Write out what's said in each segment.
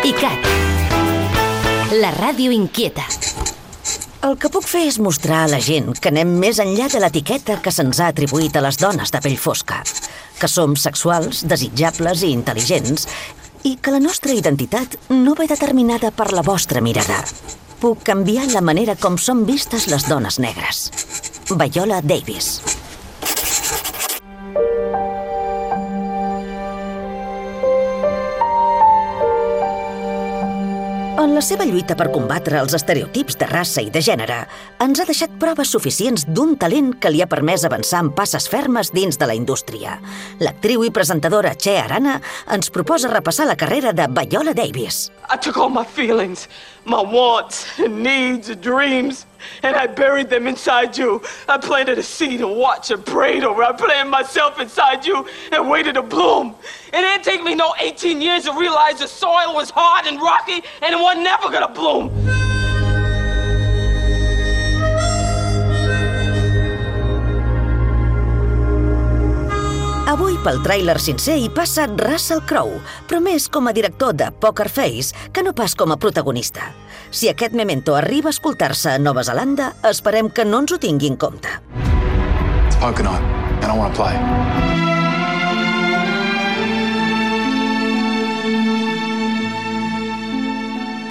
ICAT, la ràdio inquieta. El que puc fer és mostrar a la gent que anem més enllà de l'etiqueta que se'ns ha atribuït a les dones de pell fosca, que som sexuals, desitjables i intel·ligents, i que la nostra identitat no ve determinada per la vostra mirada. Puc canviar la manera com són vistes les dones negres. Viola Davis. En la seva lluita per combatre els estereotips de raça i de gènere, ens ha deixat proves suficients d'un talent que li ha permès avançar amb passes fermes dins de la indústria. L'actriu i presentadora Che Arana ens proposa repassar la carrera de Viola Davis. I took all my feelings, my wants and needs and dreams, and I buried them inside you. I planted a seed and watched and prayed over. I planted myself inside you and waited to bloom. It didn't take me no 18 years to realize the soil was hard and rocky and it was never gonna bloom. Avui, pel tràiler sincer, hi passa Russell Crowe, però més com a director de Poker Face que no pas com a protagonista. Si aquest memento arriba a escoltar-se a Nova Zelanda, esperem que no ens ho tingui en compte. It's poker night, and I want to play.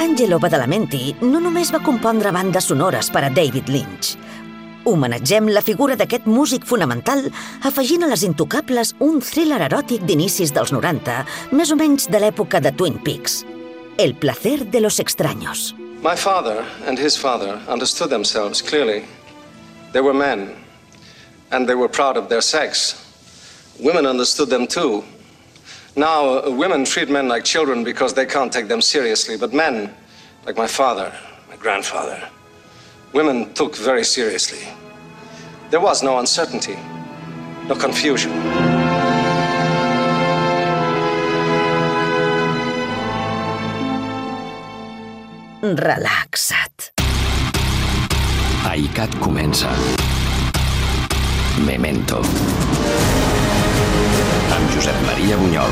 Angelo Badalamenti no només va compondre bandes sonores per a David Lynch. Homenatgem la figura d'aquest músic fonamental afegint a les Intocables un thriller eròtic d'inicis dels 90, més o menys de l'època de Twin Peaks. El placer de los extraños. My father and his father understood themselves clearly. They were men, and they were proud of their sex. Women understood them too. Now, women treat men like children because they can't take them seriously, but men, like my father, my grandfather, women took very seriously. There was no uncertainty, no confusion. Relaxa't. ICAT comença. Memento. Amb Josep Maria Bunyol.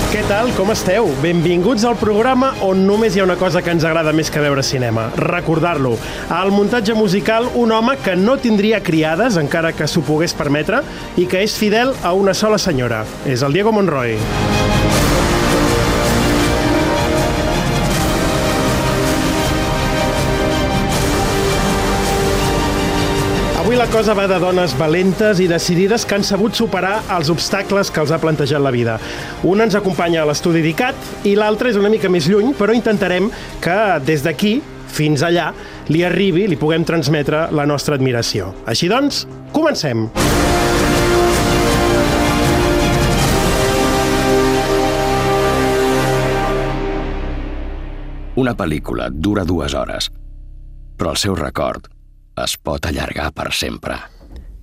Què tal? Com esteu? Benvinguts al programa on només hi ha una cosa que ens agrada més que veure cinema, recordar-lo. Al muntatge musical, un home que no tindria criades, encara que s'ho pogués permetre, i que és fidel a una sola senyora. És el Diego Monroy. Avui la cosa va de dones valentes i decidides que han sabut superar els obstacles que els ha plantejat la vida. Una ens acompanya a l'estudi d'ICAT i l'altra és una mica més lluny, però intentarem que des d'aquí fins allà li arribi, li puguem transmetre la nostra admiració. Així doncs, comencem! Una pel·lícula dura 2 hores, però el seu record es pot allargar per sempre.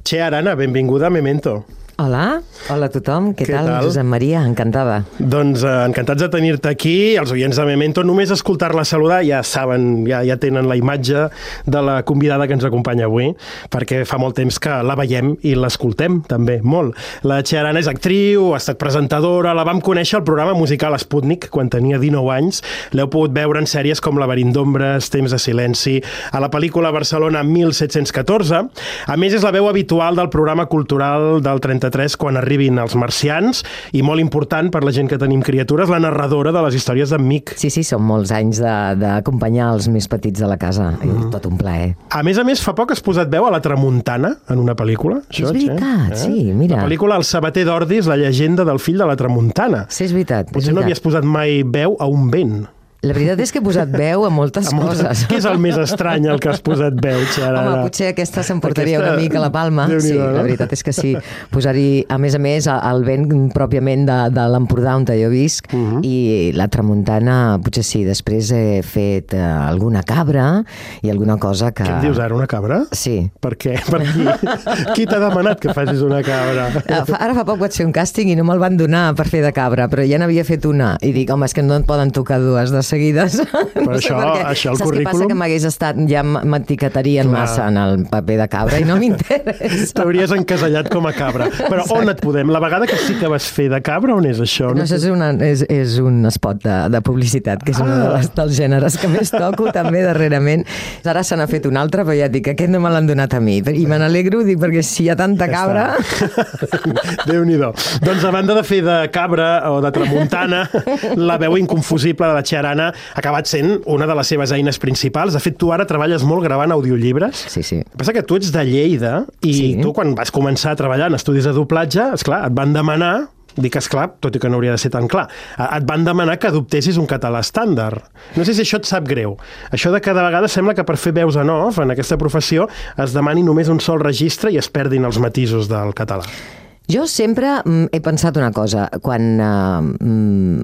Che Arana, benvinguda a Memento. Hola a tothom. Què tal, Josep Maria? Encantada. Doncs encantats de tenir-te aquí. Els oients de Memento, només escoltar-la saludar ja saben, ja tenen la imatge de la convidada que ens acompanya avui, perquè fa molt temps que la veiem i l'escoltem també, molt. La Che Arana és actriu, ha estat presentadora, la vam conèixer al programa musical Sputnik quan tenia 19 anys. L'heu pogut veure en sèries com Laberint d'ombres, Temps de silenci, a la pel·lícula Barcelona 1714. A més, és la veu habitual del programa cultural del 33 quan arribin els marcians i molt important per la gent que tenim criatures, la narradora de les històries d'en Mick. Sí, són molts anys d'acompanyar els més petits de la casa. Tot un plaer. A més, fa poc has posat veu a La Tramuntana en una pel·lícula. És veritat, sí, mira. La pel·lícula El sabater d'Ordis, la llegenda del fill de la Tramuntana. Sí, és veritat. Potser no havies posat mai veu a un vent. La veritat és que he posat veu a moltes coses. Què és el més estrany al que has posat veu, Xarana? Home, potser aquesta s'emportaria una mica la palma. Sí, la veritat és que sí. Posar-hi, a més, el vent pròpiament de l'Empordà on jo visc i la Tramuntana, potser sí. Després he fet alguna cabra i alguna cosa que... Què em dius ara, una cabra? Sí. Per què? Per qui t'ha demanat que facis una cabra? Ara fa poc vaig fer un càsting i no me'l van donar per fer de cabra, però ja n'havia fet una. I dic, home, és que no et poden tocar dues de seguides. Però això el saps currículum... què passa? Que m'hagués estat... Ja m'etiquetarien massa en el paper de cabra i no m'interessa. T'hauries encasellat com a cabra. Però on et podem? La vegada que sí que vas fer de cabra, on és això? No, això és un spot de publicitat, que és un dels gèneres que més toco també darrerament. Ara se n'ha fet un altre, però ja et dic, aquest no me l'han donat a mi. I me n'alegro, dic, perquè si hi ha tanta cabra... Déu-n'hi-do. Doncs a banda de fer de cabra o de tramuntana, la veu inconfusible de la Chiarana ha acabat sent una de les seves eines principals. De fet, tu ara treballes molt gravant audiollibres. Sí. El que passa que tu ets de Lleida i tu, quan vas començar a treballar en estudis de doblatge, esclar, et van demanar, dic esclar, tot i que no hauria de ser tan clar, et van demanar que adoptessis un català estàndard. No sé si això et sap greu. Això de que de vegades sembla que per fer veus en off, en aquesta professió, es demani només un sol registre i es perdin els matisos del català. Jo sempre he pensat una cosa. Quan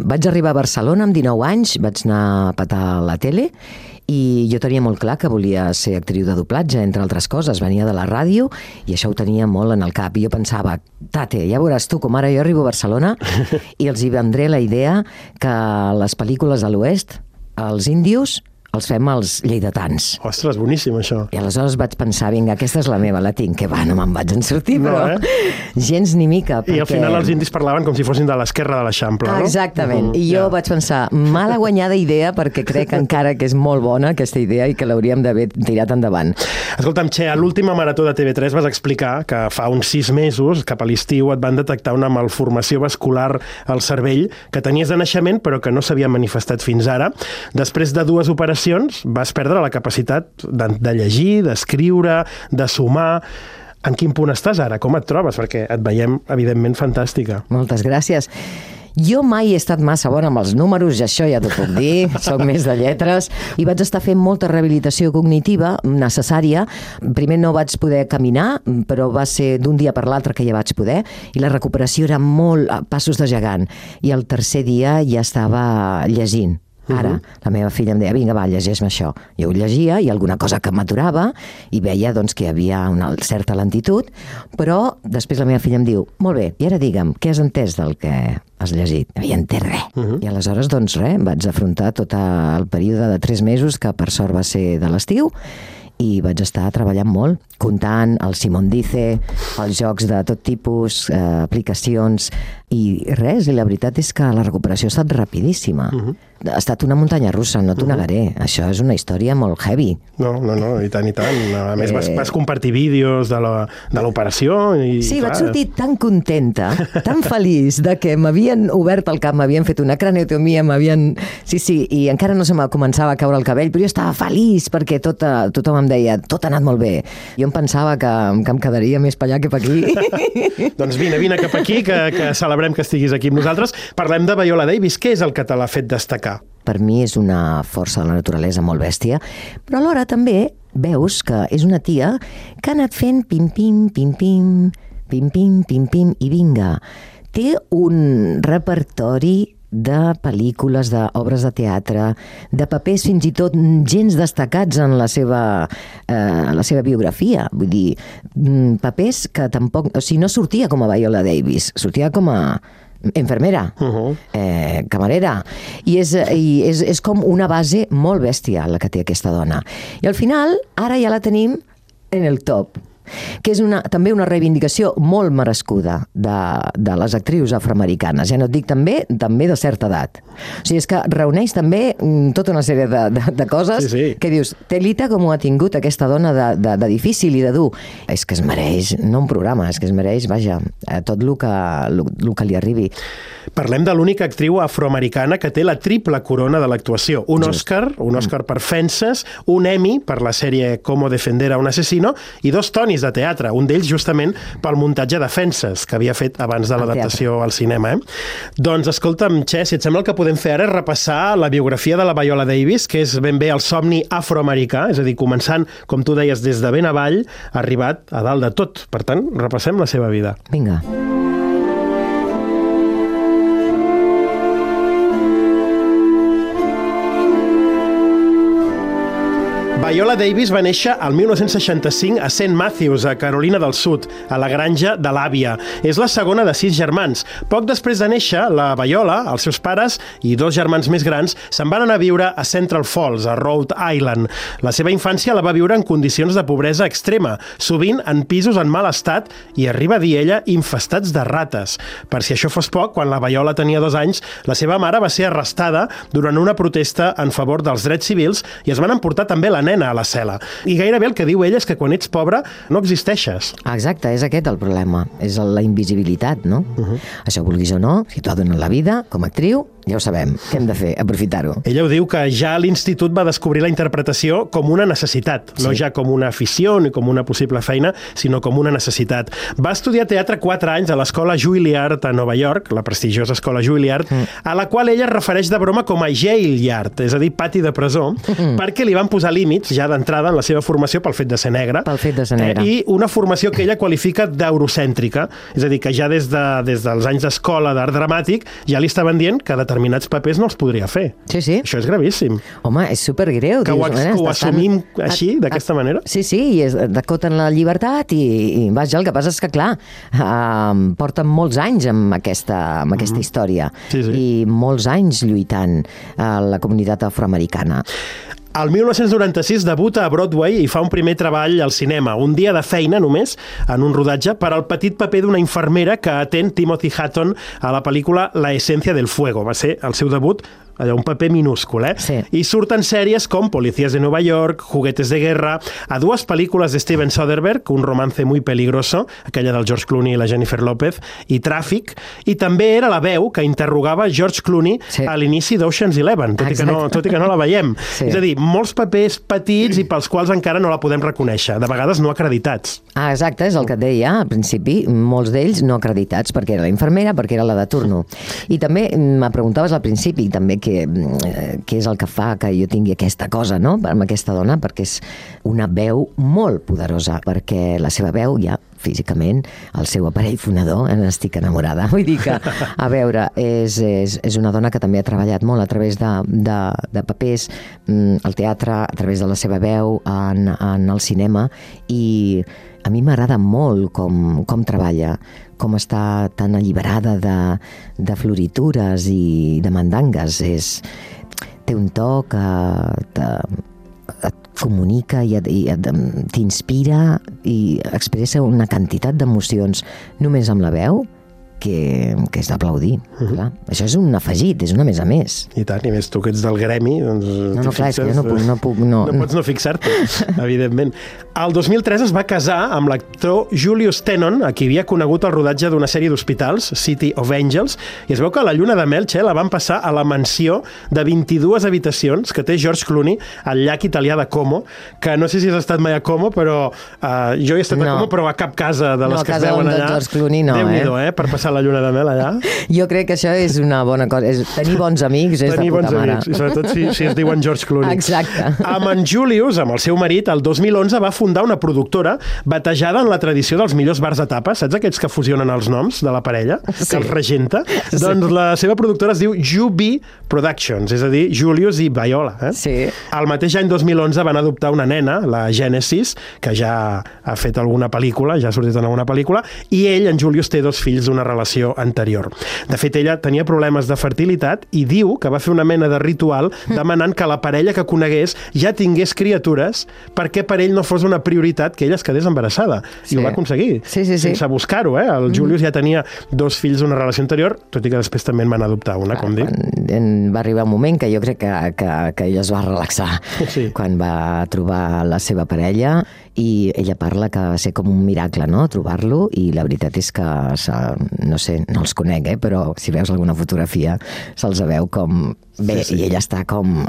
vaig arribar a Barcelona amb 19 anys, vaig anar a petar a la tele i jo tenia molt clar que volia ser actriu de doblatge, entre altres coses. Venia de la ràdio i això ho tenia molt en el cap. I jo pensava, tate, ja veuràs tu com ara jo arribo a Barcelona i els hi vendré la idea que les pel·lícules de l'Oest, els índios, els fem els lleidatans. Ostres, boníssim, això. I aleshores vaig pensar, vinga, aquesta és la meva, la tinc, que va, no me'n vaig en sortir, però gens ni mica. I al final els indis parlaven com si fossin de l'esquerra de l'Eixample, no? Exactament. I jo vaig pensar, mala guanyada idea, perquè crec encara que és molt bona aquesta idea i que l'hauríem d'haver tirat endavant. Escolta'm, Che, a l'última marató de TV3 vas explicar que fa uns 6 mesos, cap a l'estiu, et van detectar una malformació vascular al cervell que tenies de naixement però que no s'havia manifestat fins ara. Després de 2 operacions vas perdre la capacitat de llegir, d'escriure, de sumar. En quin punt estàs ara? Com et trobes? Perquè et veiem, evidentment, fantàstica. Moltes gràcies. Jo mai he estat massa bona amb els números, i això ja t'ho puc dir, soc més de lletres, i vaig estar fent molta rehabilitació cognitiva necessària. Primer no vaig poder caminar, però va ser d'un dia per l'altre que ja vaig poder, i la recuperació era molt a passos de gegant. I el tercer dia ja estava llegint. Ara, la meva filla em deia, vinga, va, llegeix-me això. Jo ho llegia i alguna cosa que m'aturava i veia doncs, que hi havia una certa lentitud, però després la meva filla em diu, molt bé, i ara digue'm, què has entès del que has llegit? No havia entès res. I aleshores, doncs res, vaig afrontar tot el període de 3 mesos, que per sort va ser de l'estiu, i vaig estar treballant molt, comptant el Simón Dice, els jocs de tot tipus, aplicacions, i res, i la veritat és que la recuperació ha estat rapidíssima. Ha estat una muntanya russa, no t'ho negaré. Això és una història molt heavy. No, i tant, i tant. A més, vas compartir vídeos de l'operació. Sí, vaig sortir tan contenta, tan feliç de que m'havien obert el cap, m'havien fet una craniotomia, Sí, i encara no se me començava a caure el cabell, però jo estava feliç perquè tothom em deia, tot ha anat molt bé. Jo em pensava que em quedaria més per allà que per aquí. Doncs vine cap aquí, que celebrem que estiguis aquí amb nosaltres. Parlem de Viola Davis. Què és el que te l'ha fet destacar? Per mi és una força de la naturalesa molt bèstia, però alhora també veus que és una tia que ha anat fent pim-pim, pim-pim, pim-pim, pim-pim, i vinga. Té un repertori de pel·lícules, d'obres de teatre, de papers fins i tot gens destacats en la seva biografia. Vull dir, papers que tampoc... O sigui, no sortia com a Viola Davis, sortia com a infermera, camarera, i és com una base molt bèstia la que té aquesta dona. I al final, ara ja la tenim en el top, que és també una reivindicació molt merescuda de les actrius afroamericanes. Ja no et dic també de certa edat. O sigui, és que reuneix també tota una sèrie de coses que dius, telita com ho ha tingut aquesta dona de difícil i de dur. És que es mereix, no un programa, és que es mereix, vaja, tot el que li arribi. Parlem de l'única actriu afroamericana que té la triple corona de l'actuació. Un Òscar per Fences, un Emmy per la sèrie Cómo defender a un asesino i 2 Tonys de teatre, un d'ells justament pel muntatge de Fences, que havia fet abans de l'adaptació al cinema. Doncs escolta'm, Che, si et sembla, el que podem fer ara és repassar la biografia de la Viola Davis, que és ben bé el somni afroamericà, és a dir, començant, com tu deies, des de ben avall, arribat a dalt de tot. Per tant, repassem la seva vida. Vinga. Viola Davis va néixer al 1965 a St. Matthews, a Carolina del Sud, a la granja de l'àvia. És la segona de 6 germans. Poc després de néixer, la Viola, els seus pares i 2 germans més grans se'n van anar a viure a Central Falls, a Rhode Island. La seva infància la va viure en condicions de pobresa extrema, sovint en pisos en mal estat i, arriba a dir ella, infestats de rates. Per si això fos poc, quan la Viola tenia 2 anys, la seva mare va ser arrestada durant una protesta en favor dels drets civils i es van emportar també la nena a la cel·la. I gairebé el que diu ella és que quan ets pobre no existeixes. Exacte, és aquest el problema. És la invisibilitat, no? Això vulguis o no, si t'ho ha donat la vida, com a actriu, ja ho sabem. Què hem de fer? Aprofitar-ho. Ella ho diu que ja a l'institut va descobrir la interpretació com una necessitat, no ja com una afició ni com una possible feina, sinó com una necessitat. Va estudiar teatre 4 anys a l'escola Juilliard a Nova York, la prestigiosa escola Juilliard, a la qual ella es refereix de broma com a Jail-yard, és a dir, pati de presó, perquè li van posar límits ja d'entrada en la seva formació pel fet de ser negra. Pel fet de ser negra. I una formació que ella qualifica d'eurocèntrica, és a dir, que ja des dels anys d'escola d'art dramàtic ja li estaven dient que determinats papers no els podria fer. Sí, sí. Això és gravíssim. Home, és supergreu. Que ho assumim així, d'aquesta manera? Sí, sí, i d'acoten la llibertat i vaja, el que passa és que, clar, porten molts anys amb aquesta història i molts anys lluitant a la comunitat afroamericana. El 1996 debuta a Broadway i fa un primer treball al cinema, un dia de feina només, en un rodatge, per al petit paper d'una infermera que atén Timothy Hutton a la pel·lícula La esencia del fuego. Va ser el seu debut, un paper minúscul, Sí. I surten sèries com Policías de Nueva York, Juguetes de guerra, a 2 pel·lícules de Steven Soderbergh, Un romance muy peligroso, aquella del George Clooney i la Jennifer López, i Tràfic, i també era la veu que interrogava George Clooney a l'inici d'Ocean's 11, tot i que no la veiem. És a dir, molts papers petits i pels quals encara no la podem reconèixer, de vegades no acreditats. Exacte, és el que et deia al principi, molts d'ells no acreditats, perquè era la infermera, perquè era la de turno. I també me preguntaves al principi també què és el que fa que jo tingui aquesta cosa, no?, amb aquesta dona, perquè és una veu molt poderosa, perquè la seva veu ja físicament, el seu aparell fonador, n'estic enamorada. Vull dir que, a veure, és una dona que també ha treballat molt a través de papers, al teatre, a través de la seva veu, en el cinema, i a mi m'agrada molt com treballa, com està tan alliberada de floritures i de mandangues. Té un to que et comunica i t'inspira i expressa una quantitat d'emocions només amb la veu que és d'aplaudir. Això és un afegit, és una més a més. I tant, i més tu que ets del gremi, doncs no, clar, és que jo no puc... No pots no fixar-te, evidentment. El 2003 es va casar amb l'actor Julius Tennon, a qui havia conegut el rodatge d'una sèrie d'hospitals, City of Angels, i es veu que la lluna de mel, la van passar a la mansió de 22 habitacions que té George Clooney al llac italià de Como, que no sé si has estat mai a Como, però jo he estat a Como, però a cap casa de les que es veuen allà. George Clooney no, Déu-n'hi-do, per passar la lluna de mel allà. Jo crec que això és una bona cosa. Tenir bons amics és de puta mare. I sobretot si es diuen George Clooney. Exacte. Amb en Julius, amb el seu marit, el 2011 va fundar una productora batejada en la tradició dels millors bars de tapes. Saps aquests que fusionen els noms de la parella? Que els regenta? Doncs la seva productora es diu Jubi Productions, és a dir, Julius i Viola. Sí. El mateix any 2011 van adoptar una nena, la Genesis, que ja ha fet alguna pel·lícula, ja ha sortit en alguna pel·lícula, i ell, en Julius, té 2 fills d'una relació anterior. De fet, ella tenia problemes de fertilitat i diu que va fer una mena de ritual demanant que la parella que conegués ja tingués criatures perquè per ell no fos una prioritat que ella es quedés embarassada. I ho va aconseguir. Sense buscar-ho, El Julius ja tenia 2 fills d'una relació anterior, tot i que després també en van adoptar una, com dic. Va arribar un moment que jo crec que ella es va relaxar quan va trobar la seva parella, i ella parla que va ser com un miracle, no?, trobar-lo, i la veritat és que, no sé, no els conec, però si veus alguna fotografia se'ls veu com bé, i ella està com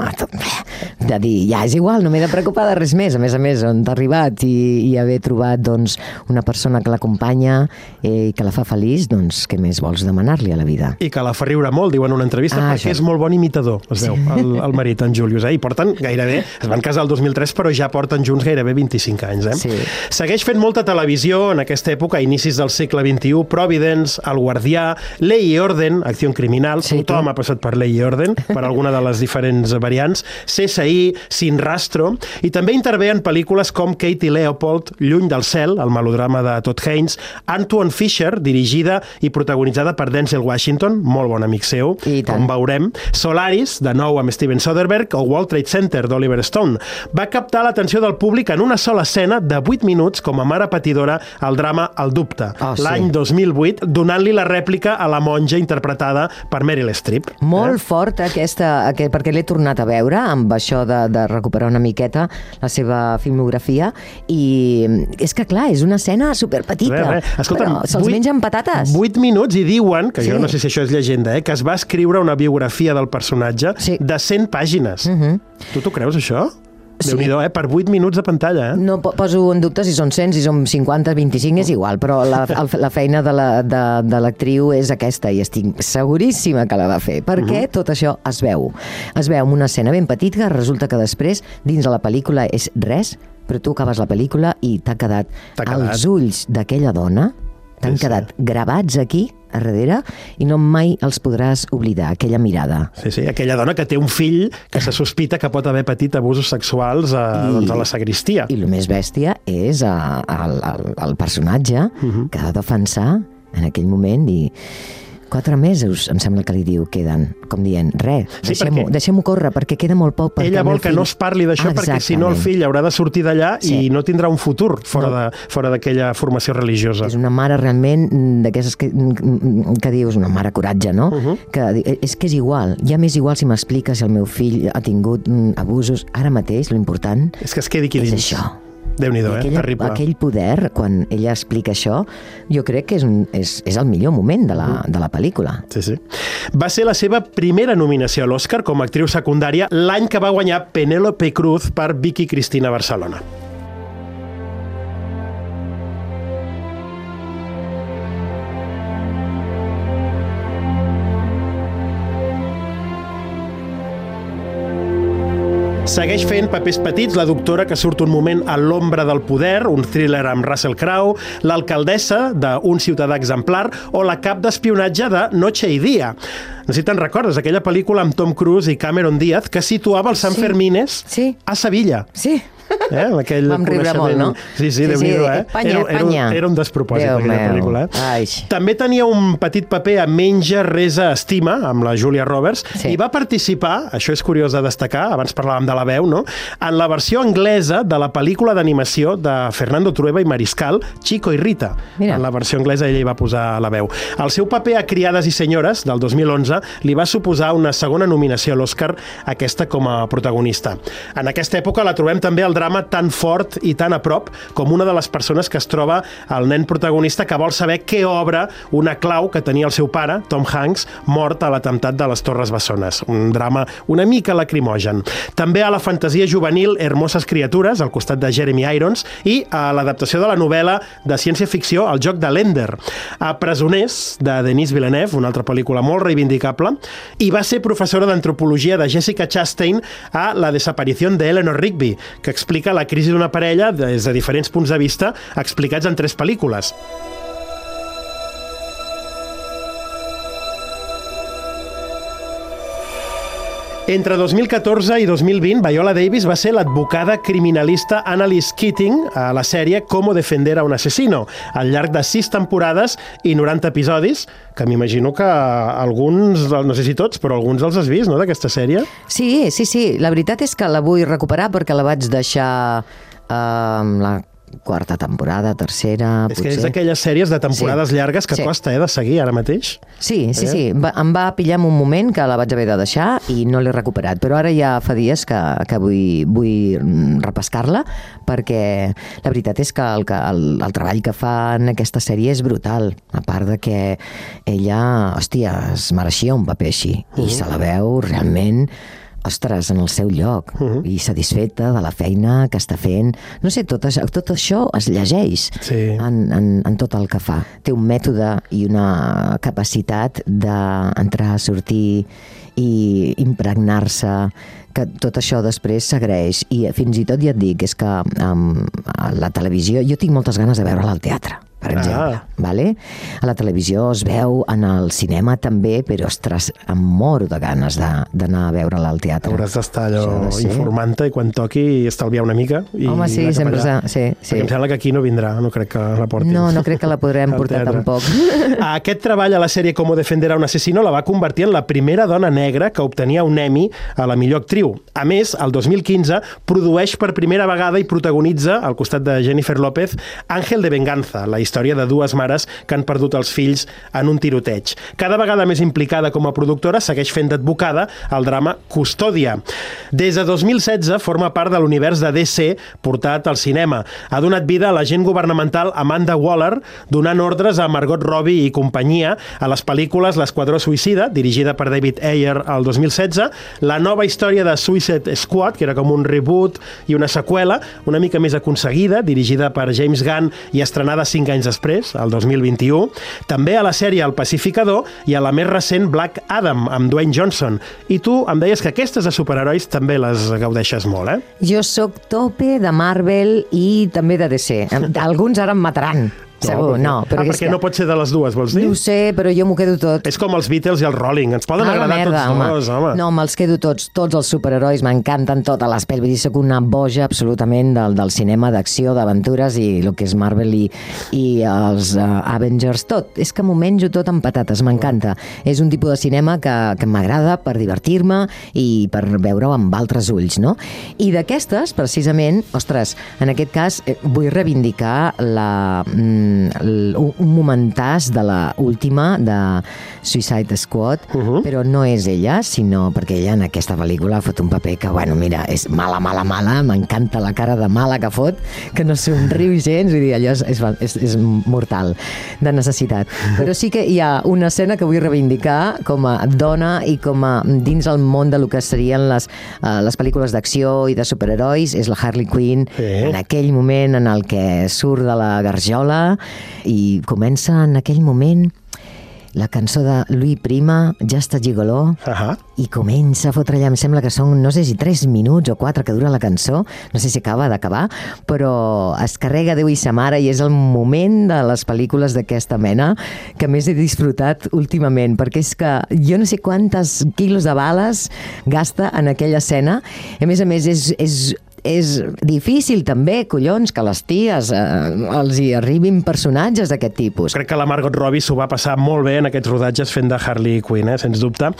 de dir, ja és igual, no m'he de preocupar de res més. A més, on t'ha arribat i haver trobat, doncs, una persona que l'acompanya i que la fa feliç, doncs, què més vols demanar-li a la vida? I que la fa riure molt, diuen en una entrevista, perquè és molt bon imitador, es veu, el marit, en Julius, i porten gairebé, es van casar el 2003, però ja porten junts gairebé 25 anys. anys, eh? Sí. Segueix fent molta televisió en aquesta època, a inicis del segle XXI, Providence, El Guardià, Ley i Orden, Acció Criminal, tothom ha passat per Ley i Orden, per alguna de les diferents variants, CSI, Sin Rastro, i també intervé en pel·lícules com Katie Leopold, Lluny del cel, el melodrama de Todd Haynes, Antoine Fisher, dirigida i protagonitzada per Denzel Washington, molt bon amic seu, com veurem, Solaris, de nou amb Steven Soderbergh, o World Trade Center, d'Oliver Stone. Va captar l'atenció del públic en una sola escena de 8 minuts com a mare patidora al drama El dubte, l'any 2008, donant-li la rèplica a la monja interpretada per Meryl Streep. Molt fort perquè l'he tornat a veure amb això de recuperar una miqueta la seva filmografia i és que clar, és una escena superpetita, Escolta'm, però se'ls mengen patates. 8 minuts i diuen, que jo no sé si això és llegenda, que es va escriure una biografia del personatge de 100 pàgines. Tu t'ho creus, això? Déu-n'hi-do, per 8 minuts de pantalla. No poso en dubte si són 100, si són 50, 25, és igual, però la feina de l'actriu és aquesta i estic seguríssima que la va fer, perquè tot això es veu. Es veu en una escena ben petita, resulta que després, dins de la pel·lícula, és res, però tu acabes la pel·lícula i t'ha quedat els ulls d'aquella dona, t'han quedat gravats aquí, a darrere, i no mai els podràs oblidar, aquella mirada. Sí, aquella dona que té un fill que se sospita que pot haver patit abusos sexuals a la sagristia. I el més bèstia és el personatge que ha de defensar en aquell moment i 4 mesos, em sembla que li diu, queden, com dient, deixem-ho córrer, perquè queda molt poc. Ella vol que no es parli d'això, perquè si no el fill haurà de sortir d'allà i no tindrà un futur fora d'aquella formació religiosa. És una mare realment d'aquestes que dius, una mare coratge, no? És que és igual, ja m'és igual si m'explica si el meu fill ha tingut abusos. Ara mateix, l'important és que es quedi aquí dins. És això. Déu-n'hi-do, terrible. Aquell poder, quan ella explica això, jo crec que és el millor moment de la pel·lícula. Sí. Va ser la seva primera nominació a l'Oscar com a actriu secundària l'any que va guanyar Penélope Cruz per Vicky Cristina Barcelona. Segueix fent papers petits, la doctora que surt un moment a l'ombra del poder, un thriller amb Russell Crowe, l'alcaldessa d'un ciutadà exemplar o la cap d'espionatge de Noche y Día. No sé si te'n recordes, aquella pel·lícula amb Tom Cruise i Cameron Diaz que situava els Sanfermines a Sevilla. Sí. Vam riure molt, no? Sí, Déu-n'hi-do, Espanya. Era un despropòsit, aquella pel·lícula. També tenia un petit paper a Menja, Resa, Estima, amb la Julia Roberts, i va participar, això és curiós de destacar, abans parlàvem de la veu, no?, en la versió anglesa de la pel·lícula d'animació de Fernando Trueba i Mariscal, Chico i Rita. En la versió anglesa ella hi va posar la veu. El seu paper a Criades i senyores, del 2011, li va suposar una segona nominació a l'Oscar, aquesta com a protagonista. En aquesta època la trobem també al drama tan fort i tan a prop com una de les persones que es troba el nen protagonista que vol saber què obre una clau que tenia el seu pare, Tom Hanks, mort a l'atemptat de les Torres Bessones. Un drama una mica lacrimogen. També a la fantasia juvenil Hermoses criatures, al costat de Jeremy Irons, i a l'adaptació de la novel·la de ciència-ficció El joc de l'Ender. A Presoners, de Denis Villeneuve, una altra pel·lícula molt reivindicable, i va ser professora d'antropologia de Jessica Chastain a La desaparición de Eleanor Rigby, que explica la crisi d'una parella des de diferents punts de vista explicats en 3 pel·lícules. Entre 2014 i 2020, Viola Davis va ser l'advocada criminalista Annalise Keating a la sèrie Cómo defender a un asesino, al llarg de 6 temporades i 90 episodis, que m'imagino que alguns, no sé si tots, però alguns els has vist, no?, d'aquesta sèrie? Sí. La veritat és que la vull recuperar perquè la vaig deixar la 4ª temporada, 3ª, potser. És que és d'aquelles sèries de temporades llargues que costa de seguir ara mateix. Sí. Em va pillar en un moment que la vaig haver de deixar i no l'he recuperat, però ara ja fa dies que vull repescar-la perquè la veritat és que el treball que fa en aquesta sèrie és brutal, a part de que ella, hòstia, es mereixia un paper així i se la veu realment ostres, en el seu lloc i satisfeta de la feina que està fent. No sé, tot això es llegeix en tot el que fa. Té un mètode i una capacitat d'entrar, sortir i impregnar-se, que tot això després s'agraeix. I fins i tot ja et dic, és que a la televisió, jo tinc moltes ganes de veure-la al teatre, per exemple. Vale? A la televisió es veu, en el cinema també, però, ostres, em moro de ganes d'anar a veure-la al teatre. Hauràs d'estar allò informant-te i quan toqui estalviar una mica. Home, sí, sempre sí. Perquè em sembla que aquí no vindrà, no crec que la portin. No crec que la podrem portar tampoc. Aquest treball a la sèrie Cómo defender a un asesino la va convertir en la primera dona negra que obtenia un Emmy a la millor actriu. A més, el 2015 produeix per primera vegada i protagonitza, al costat de Jennifer López, Ángel de Venganza, la història de dues mares que han perdut els fills en un tiroteig. Cada vegada més implicada com a productora, segueix fent d'advocada al drama Custòdia. Des de 2016 forma part de l'univers de DC portat al cinema. Ha donat vida a l'agent governamental Amanda Waller, donant ordres a Margot Robbie i companyia a les pel·lícules L'Esquadró Suïcida, dirigida per David Ayer el 2016, la nova història de Suicide Squad, que era com un reboot i una seqüela, una mica més aconseguida, dirigida per James Gunn i estrenada 5 anys després, el 2021. També a la sèrie El Pacificador i a la més recent Black Adam, amb Dwayne Johnson. I tu em deies que aquestes de superherois també les gaudeixes molt, eh? Jo sóc tope de Marvel i també de DC. Alguns ara em mataran. Segur, no. Perquè no pot ser de les dues, vols dir? No ho sé, però jo m'ho quedo tot. És com els Beatles i els Rolling, ens poden agradar tots dos, home. No, me'ls quedo tots els superherois, m'encanten totes les pel·lis. Vull dir, soc una boja absolutament del cinema d'acció, d'aventures i el que és Marvel i els Avengers, tot. És que m'ho menjo tot amb patates, m'encanta. És un tipus de cinema que m'agrada per divertir-me i per veure-ho amb altres ulls, no? I d'aquestes, precisament, ostres, en aquest cas vull reivindicar un momentàs de la última de Suicide Squad, però no és ella, sinó perquè ella en aquesta pel·lícula fot un paper que, bueno, mira, és mala, m'encanta la cara de mala que fot, que no somriu gens, vull dir, allò és mortal, de necessitat. Però sí que hi ha una escena que vull reivindicar com a dona i com a dins el món de lo que serien les pel·lícules d'acció i de superherois, és la Harley Quinn, en aquell moment en el que surt de la garjola i comença en aquell moment la cançó de Louis Prima, Just a Gigolo, i comença a fotre allà, em sembla que són, no sé si 3 minuts o 4 que dura la cançó, no sé si acaba d'acabar, però es carrega Déu i sa mare i és el moment de les pel·lícules d'aquesta mena que més he disfrutat últimament, perquè és que jo no sé quantes quilos de bales gasta en aquella escena, a més és difícil també, collons, que les ties els hi arribin personatges d'aquest tipus. Crec que la Margot Robbie s'ho va passar molt bé en aquests rodatges fent de Harley Quinn, sens dubte.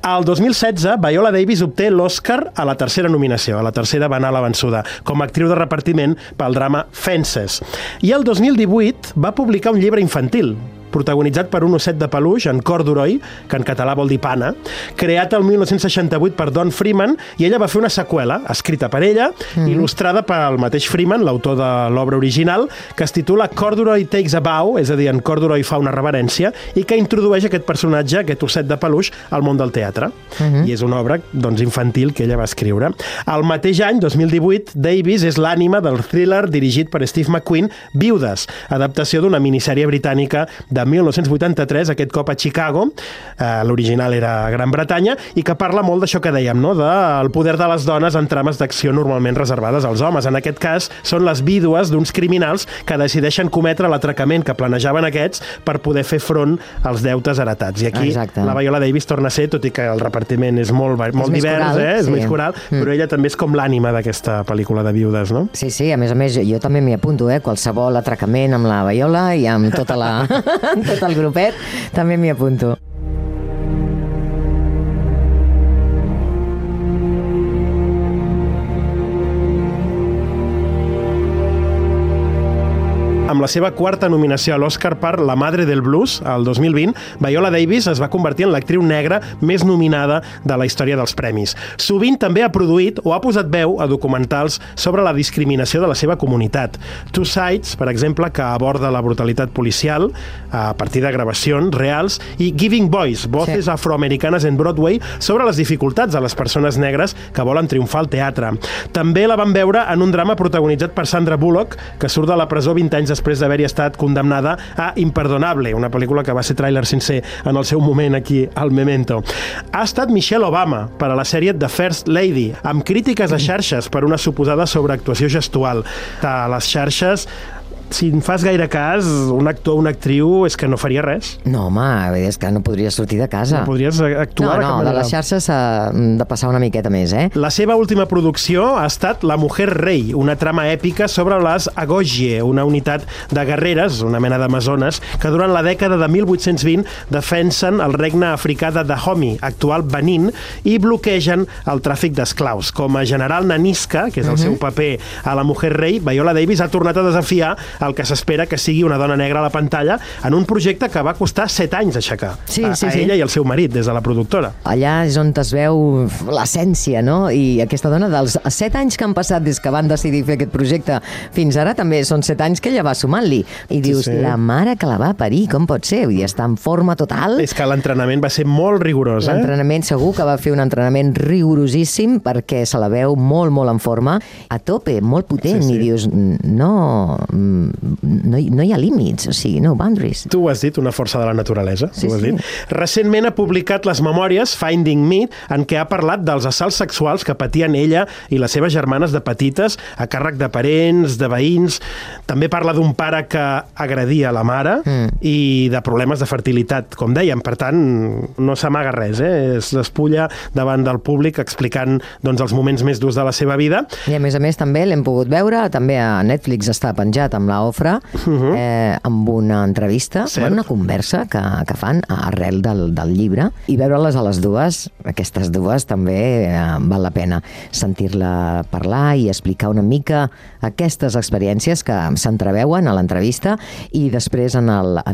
El 2016, Viola Davis obté l'Oscar a la tercera nominació, a la tercera va anar a la vençuda, com a actriu de repartiment pel drama Fences. I el 2018 va publicar un llibre infantil, protagonitzat per un osset de peluix, en Corduroy, que en català vol dir pana, creat el 1968 per Don Freeman, i ella va fer una seqüela, escrita per ella, il·lustrada pel mateix Freeman, l'autor de l'obra original, que es titula Corduroy Takes a Bow, és a dir, en Corduroy fa una reverència, i que introdueix aquest personatge, aquest osset de peluix, al món del teatre. I és una obra, doncs, infantil que ella va escriure. El mateix any, 2018, Davis és l'ànima del thriller dirigit per Steve McQueen, Viudes, adaptació d'una minissèrie britànica de 1983, aquest cop a Chicago, l'original era a Gran Bretanya, i que parla molt d'això que dèiem, no? Del poder de les dones en trames d'acció normalment reservades als homes. En aquest cas, són les vídues d'uns criminals que decideixen cometre l'atracament que planejaven aquests per poder fer front als deutes heretats. I aquí la Viola Davis torna a ser, tot i que el repartiment és molt divers, és més coral, però ella també és com l'ànima d'aquesta pel·lícula de Viudes, no? Sí, a més, jo també m'hi apunto, qualsevol atracament amb la Viola i amb tota la... tot el grupet, també m'hi apunto. Amb la seva quarta nominació a l'Oscar per La Madre del Blues, el 2020, Viola Davis es va convertir en l'actriu negra més nominada de la història dels premis. Sovint també ha produït o ha posat veu a documentals sobre la discriminació de la seva comunitat. Two Sides, per exemple, que aborda la brutalitat policial a partir de gravacions reals, i Giving Voice, Voces afroamericanes en Broadway, sobre les dificultats de les persones negres que volen triomfar al teatre. També la van veure en un drama protagonitzat per Sandra Bullock, que surt de la presó 20 anys després després d'haver-hi estat condemnada a Imperdonable, una pel·lícula que va ser tràiler sencer en el seu moment aquí al Memento. Ha estat Michelle Obama per a la sèrie The First Lady, amb crítiques a xarxes per una suposada sobreactuació gestual. A les xarxes, si en fas gaire cas, un actor o una actriu és que no faria res. No, home, és que no podries sortir de casa. No podries actuar de cap manera. De les xarxes s'ha de passar una miqueta més, eh? La seva última producció ha estat La mujer rei, una trama èpica sobre les Agojie, una unitat de guerreres, una mena d'amazones, que durant la dècada de 1820 defensen el regne africà de Dahomey, actual Benin, i bloquegen el tràfic d'esclaus. Com a general Nanisca, que és el seu paper a La mujer rei, Viola Davis ha tornat a desafiar el que s'espera que sigui una dona negra a la pantalla en un projecte que va costar 7 anys aixecar. A ella i al seu marit, des de la productora. Allà és on es veu l'essència, no? I aquesta dona, dels 7 anys que han passat des que van decidir fer aquest projecte fins ara, també són 7 anys que ella va sumant-li. I dius, la mare que la va parir, com pot ser? Vull dir, està en forma total. És que l'entrenament va ser molt rigorós, L'entrenament segur que va fer un entrenament rigorosíssim perquè se la veu molt, molt en forma, a tope, molt potent, i dius, no hi ha límits, o sigui, no boundaries. Tu ho has dit, una força de la naturalesa. Sí. Recentment ha publicat les memòries Finding Me, en què ha parlat dels assalts sexuals que patien ella i les seves germanes de petites a càrrec de parents, de veïns. També parla d'un pare que agredia la mare i de problemes de fertilitat, com dèiem. Per tant, no s'amaga res, es despulla davant del públic explicant els moments més durs de la seva vida. I a més també l'hem pogut veure, també a Netflix està penjat amb la Ofra, amb una entrevista, una conversa que fan arrel del llibre, i veure-les a les dues, aquestes dues també val la pena sentir-la parlar i explicar una mica aquestes experiències que s'entreveuen a l'entrevista i després en el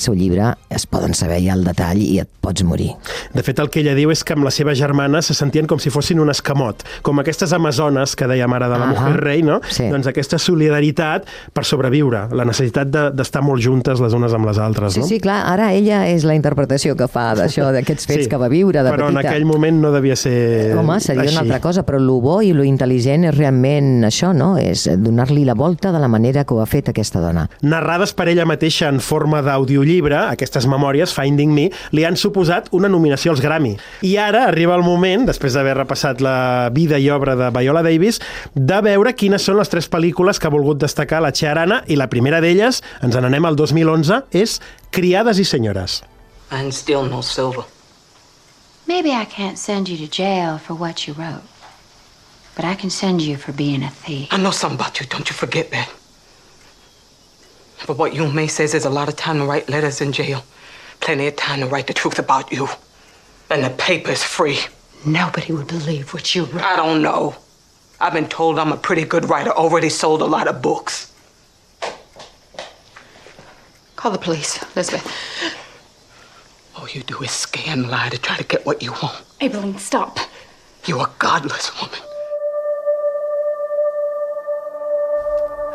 seu llibre es poden saber ja el detall i et pots morir. De fet, el que ella diu és que amb la seva germana se sentien com si fossin un escamot, com aquestes amazones que dèiem ara de La mujer rei, no? Doncs aquesta solidaritat per sobreviure, la necessitat d'estar molt juntes les unes amb les altres, no? Sí, clar, ara ella és la interpretació que fa d'això, d'aquests fets que va viure de petita. Però en aquell moment no devia ser Home, seria una altra cosa, però lo bo i lo intel·ligent és realment això, no? És donar-li la volta de la manera que ho ha fet aquesta dona. Narrades per ella mateixa en forma d'audiollibre, aquestes memòries, Finding Me, li han suposat una nominació als Grammy. I ara arriba el moment, després d'haver repassat la vida i obra de Viola Davis, de veure quines són les 3 pel·lícules que ha volgut destacar la Chiarana, i la primera d'elles, ens n'anem al 2011, és Criades i senyores. And still no silver. Maybe I can't send you to jail for what you wrote, but I can send you for being a thief. I know something about you, don't you forget that. But what you and May says there's a lot of time to write letters in jail. Plenty of time to write the truth about you. And the paper's free. Nobody would believe what you wrote. I don't know. I've been told I'm a pretty good writer, already sold a lot of books. Call the police, Elizabeth. All you do is scare and lie to try to get what you want. Aibileen, stop. You're a godless woman.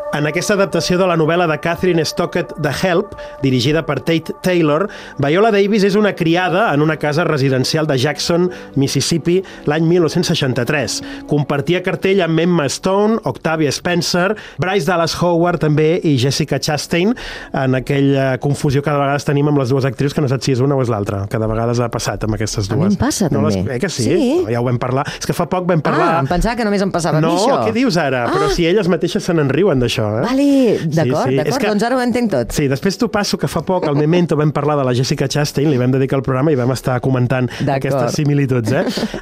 En aquesta adaptació de la novel·la de Catherine Stockett The Help, dirigida per Tate Taylor, Viola Davis és una criada en una casa residencial de Jackson, Mississippi, l'any 1963. Compartia cartell amb Emma Stone, Octavia Spencer, Bryce Dallas Howard també i Jessica Chastain, en aquella confusió que de vegades tenim amb les dues actrius, que no saps si és una o és l'altra, que de vegades ha passat amb aquestes dues. A mi em passa, també. Que sí? Ja ho vam parlar. És que fa poc vam parlar... em pensava que només em passava a mi, això. No, què dius ara? Però si elles mateixes se n'enriuen d'això. Vale, d'acord, doncs ara ho entenc tot. Sí, després t'ho passo que fa poc al Memento vam parlar de la Jessica Chastain, li vam dedicar el programa i vam estar comentant aquestes similituds.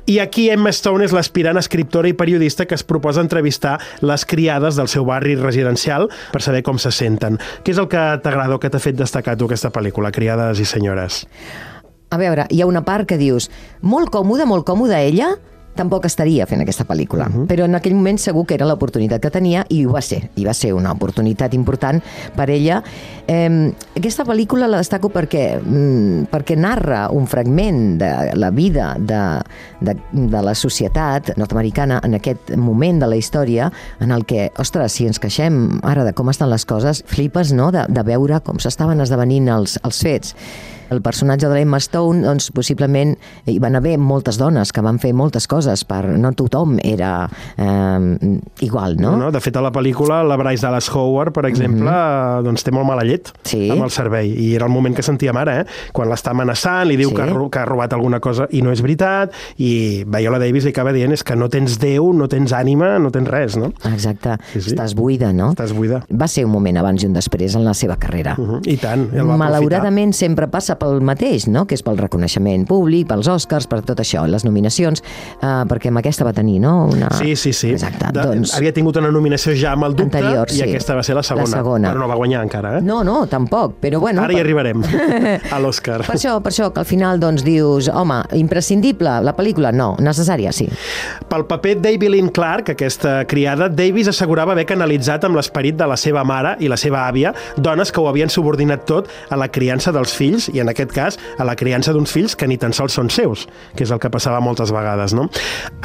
I aquí Emma Stone és l'aspirant escriptora i periodista que es proposa entrevistar les criades del seu barri residencial per saber com se senten. Què és el que t'agrada o que t'ha fet destacar tu aquesta pel·lícula, Criades i senyores? A veure, hi ha una part que dius, molt còmoda ella, tampoc estaria fent aquesta pel·lícula, però en aquell moment segur que era l'oportunitat que tenia i ho va ser, i va ser una oportunitat important per ella. Aquesta pel·lícula la destaco perquè narra un fragment de la vida de la societat nord-americana en aquest moment de la història en el que, ostres, si ens queixem ara de com estan les coses, flipes, no?, de veure com s'estaven esdevenint els fets. El personatge de l'Emma Stone, doncs, possiblement hi van haver moltes dones que van fer moltes coses, no tothom era igual, no? De fet, a la pel·lícula, la Bryce Dallas Howard, per exemple, doncs té molt mala llet amb el servei, i era el moment que sentia mare, quan l'està amenaçant, li diu que ha robat alguna cosa i no és veritat, i Viola Davis li acaba dient que no tens Déu, no tens ànima, no tens res, no? Exacte, estàs buida, no? Estàs buida. Va ser un moment abans i un després en la seva carrera. I tant, el va aprofitar. Malauradament sempre passa pel mateix, no? Que és pel reconeixement públic, pels Oscars, per tot això, les nominacions, perquè amb aquesta va tenir, no? Sí. Exacte, doncs... Havia tingut una nominació ja amb el dubte, anterior, i aquesta va ser la segona. Però no va guanyar encara, No, tampoc, però bueno... Ara hi arribarem, a l'Oscar. Per això, que al final doncs dius, home, imprescindible, la pel·lícula? No, necessària, sí. Pel paper d'Abbie Lynn Clark, aquesta criada, Davis assegurava haver canalitzat amb l'esperit de la seva mare i la seva àvia, dones que ho havien subordinat tot a la criança dels fills, i en aquest cas a la criança d'uns fills que ni tan sols són seus, que és el que passava moltes vegades, no?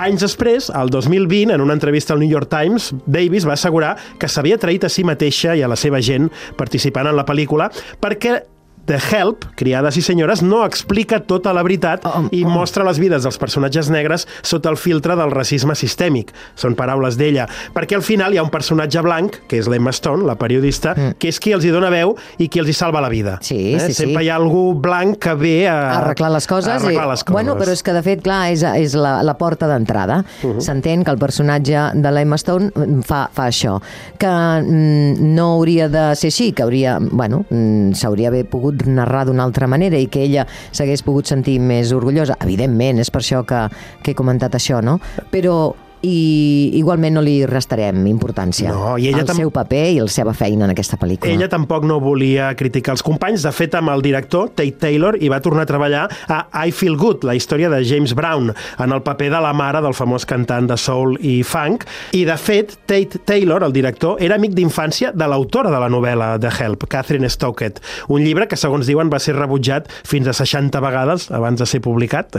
Anys després, el 2020, en una entrevista al New York Times, Davis va assegurar que s'havia traït a si mateixa i a la seva gent participant en la pel·lícula perquè The Help, Criades i senyores, no explica tota la veritat i mostra les vides dels personatges negres sota el filtre del racisme sistèmic. Són paraules d'ella. Perquè al final hi ha un personatge blanc, que és l'Emma Stone, la periodista, que és qui els hi dona veu i qui els hi salva la vida. Sí. Sempre hi ha algú blanc que ve a arreglar les coses. Bueno, però és que de fet, clar, és la porta d'entrada. S'entén que el personatge de l'Emma Stone fa això. Que no hauria de ser així, que s'hauria d'haver pogut narrar d'una altra manera i que ella s'hagués pogut sentir més orgullosa. Evidentment, és per això que he comentat això, no? Però igualment no li restarem importància al seu paper i la seva feina en aquesta pel·lícula. Ella tampoc no volia criticar els companys. De fet, amb el director, Tate Taylor, hi va tornar a treballar a I Feel Good, la història de James Brown, en el paper de la mare del famós cantant de soul i funk. I, de fet, Tate Taylor, el director, era amic d'infància de l'autora de la novel·la The Help, Catherine Stockett, un llibre que, segons diuen, va ser rebutjat fins a 60 vegades abans de ser publicat.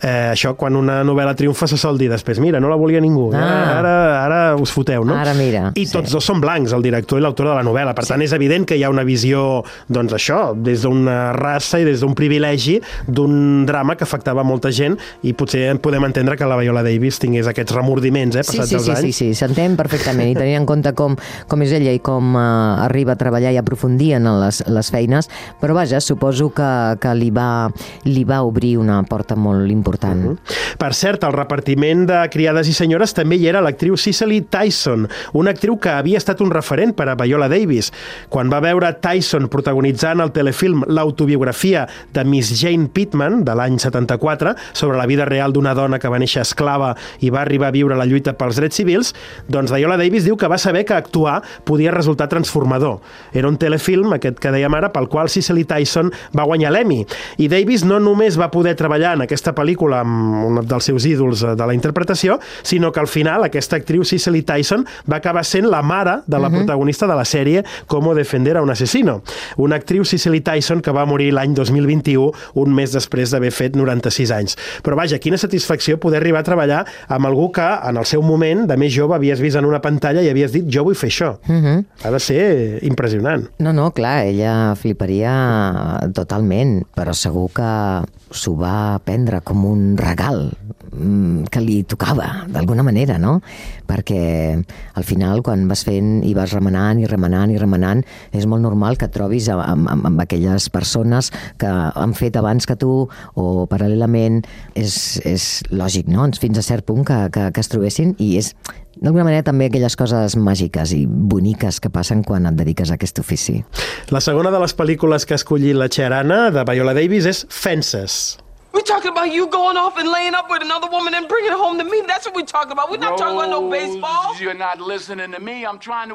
Això, quan una novel·la triomfa, se sol dir després, mira, no la volia ningú. Ara us foteu, no? Ara mira. I tots dos són blancs, el director i l'autor de la novel·la. Per tant, és evident que hi ha una visió, doncs això, des d'una raça i des d'un privilegi d'un drama que afectava molta gent, i potser podem entendre que la Viola Davis tingués aquests remordiments, passats els anys. Sí, s'entén perfectament. I tenint en compte com és ella i com arriba a treballar i aprofundir en les feines, però vaja, suposo que li va obrir una porta molt important. Per cert, el repartiment de Criades i senyores també hi era l'actriu Cicely Tyson, una actriu que havia estat un referent per a Viola Davis. Quan va veure Tyson protagonitzant el telefilm L'autobiografia de Miss Jane Pittman, de l'any 74, sobre la vida real d'una dona que va néixer esclava i va arribar a viure la lluita pels drets civils, doncs Viola Davis diu que va saber que actuar podia resultar transformador. Era un telefilm, aquest que dèiem ara, pel qual Cicely Tyson va guanyar l'Emmy. I Davis no només va poder treballar en aquesta pel·lícula amb un dels seus ídols de la interpretació, sinó que al final aquesta actriu Cicely Tyson va acabar sent la mare de la protagonista de la sèrie Cómo defender a un asesino. Una actriu, Cicely Tyson, que va morir l'any 2021, un mes després d'haver fet 96 anys. Però vaja, quina satisfacció poder arribar a treballar amb algú que en el seu moment, de més jove, havies vist en una pantalla i havies dit jo vull fer això. Ha de ser impressionant. No, clar, ella fliparia totalment, però segur que s'ho va prendre com un regal que li tocava, d'alguna manera, no? Perquè al final, quan vas fent i vas remenant i remenant i remenant, és molt normal que et trobis amb aquelles persones que han fet abans que tu o paral·lelament. És lògic, no? Fins a cert punt que es trobessin, i és d'alguna manera també aquelles coses màgiques i boniques que passen quan et dediques a aquest ofici. La segona de les pel·lícules que ha escollit la Chiarana, de Viola Davis, és Fences. We're talking about you going off and laying up with another woman and bringing it home to me. That's what we're talking about. We're not talking about no baseball. You're not listening to me. I'm trying to